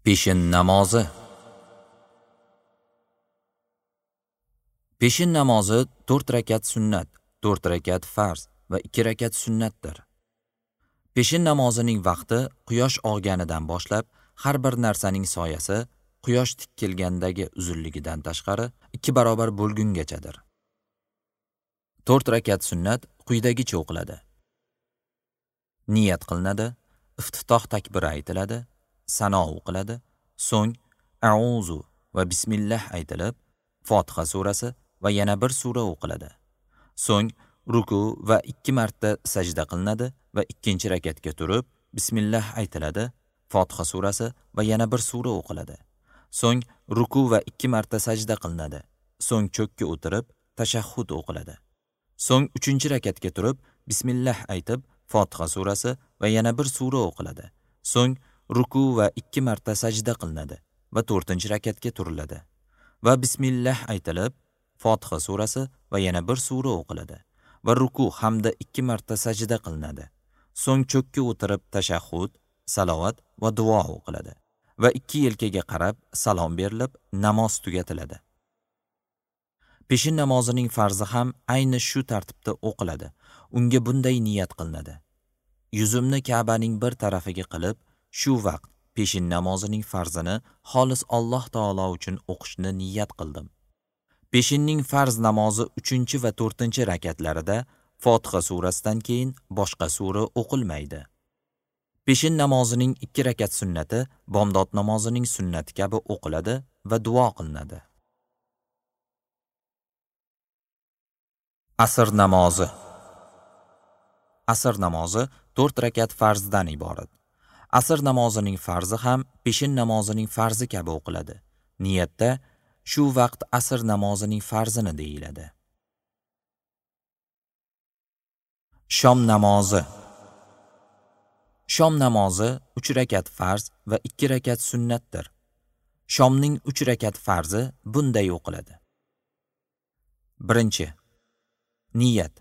Peshin namozi. Peshin namozi 4 rakat sunnat, 4 rakat farz va 2 rakat sunnatdir. Peshin namozining vaqti quyosh og'ganidan boshlab har bir narsaning soyasi quyosh tikkilgandagi uzunligidan tashqari 2 barobar bo'lgungachadir. 4 rakat sunnat quyidagicha o'qiladi. Niyat qilinadi, iftitoh takbiri aytiladi, sano o'qiladi, so'ng a'uzu va bismillah aytilib, Fotiha surasi va yana bir sura o'qiladi. So'ng ruku va 2 marta sajda qilinadi va ikkinchi rakatga turib, bismillah aytiladi, Fotiha surasi va yana bir sura o'qiladi. So'ng ruku va 2 marta sajda qilinadi. So'ng cho'kka o'tirib, tashahhud o'qiladi. So'ng 3-rakatga turib, bismillah aytib, Fotiha surasi va yana bir sura o'qiladi. So'ng ruku va 2 marta sajda qilinadi va 4-rakatga turiladi. Va bismillah aytilib, Fotiha surasi va yana bir sura o'qiladi va ruku hamda 2 marta sajda qilinadi. So'ng cho'kka o'tirib tashahhud, salovat va duo o'qiladi va 2 yelkaga qarab salom berilib, namoz tugatiladi. Peshin namozining farzi ham ayni shu tartibda o'qiladi. Unga bunday niyat qilinadi: Yuzimni Ka'baning bir tarafiga qilib, shu vaqt peshin namozining farzini xolis Alloh taolo uchun o'qishni niyat qildim. Peshinning farz namozi 3 va 4 rakatlarida Fotiha surasidan keyin boshqa sura o'qilmaydi. Peshin namozining 2 rakat sunnati bomdod namozining sunnati kabi o'qiladi va duo qilinadi. Asr namozi. Asr namozi 4 rakat farzdan iborat. Asr namozining farzi ham peshin namozining farzi kabi o'qiladi. Niyatda shu vaqt asr namozining farzini deyiladi. Shom namozi. Shom namozi 3 rakat farz va 2 rakat sunnatdir. Shomning 3 rakat farzi bunday o'qiladi. 1. Niyat.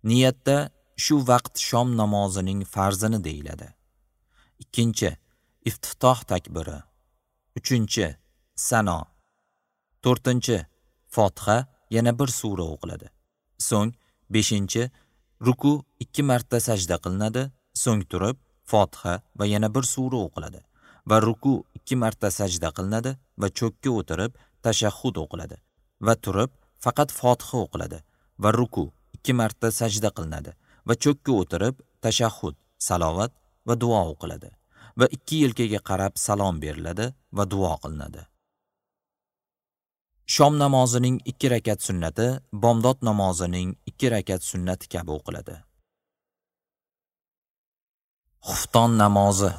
Niyatda shu vaqt shom namozining farzini deyiladi. 2. Iftitoh takbiri. 3. Sano. 4. Fotiha, yana bir sura o'qiladi. So'ng 5. Ruku, 2 marta sajda qilinadi, so'ng turib Fotiha va yana bir sura o'qiladi va ruku 2 marta sajda qilinadi va cho'kka o'tirib tashahhud o'qiladi va turib faqat Fotiha o'qiladi va ruku 2 marta sajda qilinadi va cho'kka o'tirib tashahhud, salovat va duo o'qiladi va 2 yelkaga qarab salom beriladi va duo qilinadi. Shom namozining 2 rakat sunnati bomdod namozining 2 rakat sunnati kabi o'qiladi. Xufton namozi.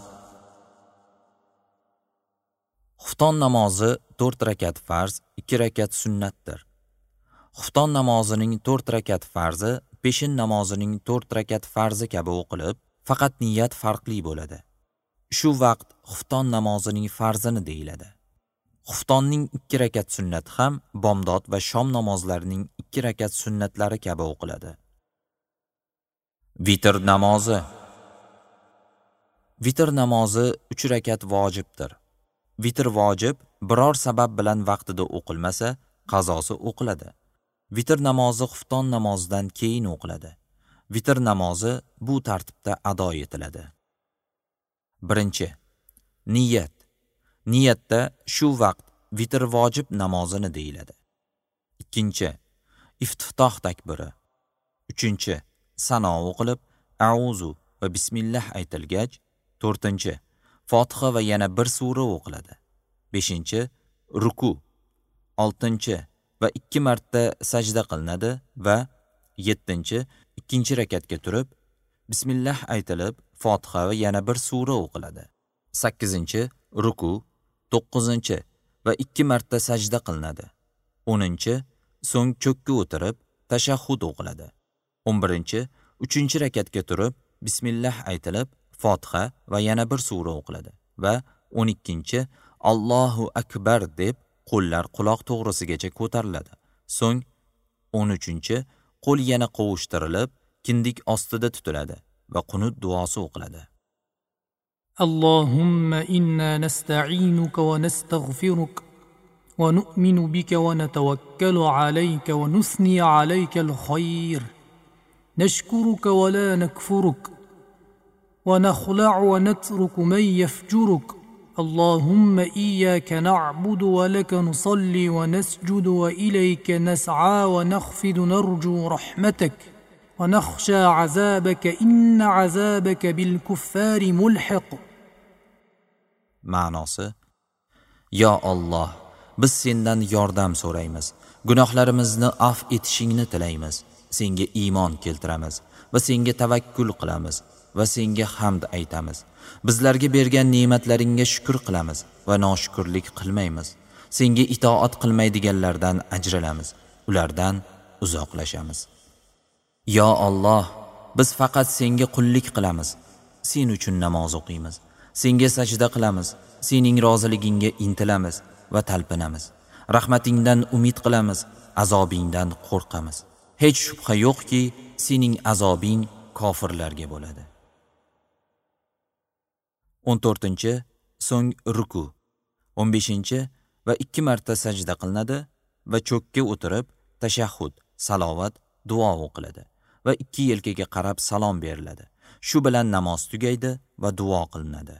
Xufton namozi 4 rakat farz, 2 rakat sunnatdir. Xufton namozining 4 rakat farzi peshin namozining 4 rakat farzi kabi o'qilib, faqat niyat farqli bo'ladi. Shu vaqt xufton namozining farzini deyiladi. Xuftonning 2 rakat sunnati ham bomdod va shom namozlarining 2 rakat sunnatlari kabi o'qiladi. Vitr namozi. Vitr namozi 3 rakat vojibdir. Vitr vojib biror sabab bilan vaqtida o'qilmasa, qazosi o'qiladi. Vitr namozi xufton namozidan keyin o'qiladi. Vitr namozi bu tartibda ado etiladi. 1. Niyat. Niyatda shu vaqt vitr vojib namozini deyiladi. 2. Iftitoh takbiri. 3. Sano o'qilib, a'uzu va bismillah aytilgach, 4. Fotiha va yana bir sura o'qiladi. 5. Ruku. 6. Va 2 marta sajda qilinadi va 7. Ikkinchi rakatga turib, bismillah aytilib, Fotiha va yana bir sura o'qiladi. 8. Ruku. 9. Va 2 marta sajda qilinadi. 10. So'ng cho'kka o'tirib, tashahhud o'qiladi. 11. 3-rakatga turib, bismillah aytilib, Fotiha va yana bir sura o'qiladi va 12. Allohu akbar deb qo'llar quloq to'g'risigacha ko'tariladi. So'ng 13. Qo'l yana qovushtirilib, kindik ostida tutiladi va qunut duosi o'qiladi. اللهم إنا نستعينك ونستغفرك ونؤمن بك ونتوكل عليك ونثني عليك الخير، نشكرك ولا نكفرك، ونخلع ونترك من يفجرك. اللهم إياك نعبد ولك نصلي ونسجد وإليك نسعى ونخفض، نرجو رحمتك ونخشى عذابك، إن عذابك بالكفار ملحق. Ma'nosi: Yo Alloh, biz sendan yordam so'raymiz, gunohlarimizni af etishingni tilaymiz, senga iymon keltiramiz va senga tavakkul qilamiz va senga hamd aytamiz. Bizlarga bergan ne'matlaringga shukr qilamiz va noshukrlik qilmaymiz. Senga itoat qilmaydiganlardan ajralamiz, ulardan uzoqlashamiz. Yo Alloh, biz faqat senga qullik qilamiz, sen uchun namoz o'qiymiz, senga sajda qilamiz, sening roziligingga intilamiz va talpinamiz. Rahmatingdan umid qilamiz, azobingdan qo'rqamiz. Hech shubha yo'qki, sening azobing kofirlarga bo'ladi. 14. So'ng ruku. 15. Va 2 marta sajda qilinadi va cho'kka o'tirib tashahhud, salovat, duo o'qiladi va ikki yelkaga qarab salom beriladi. Shu bilan namoz tugaydi va duo qilinadi.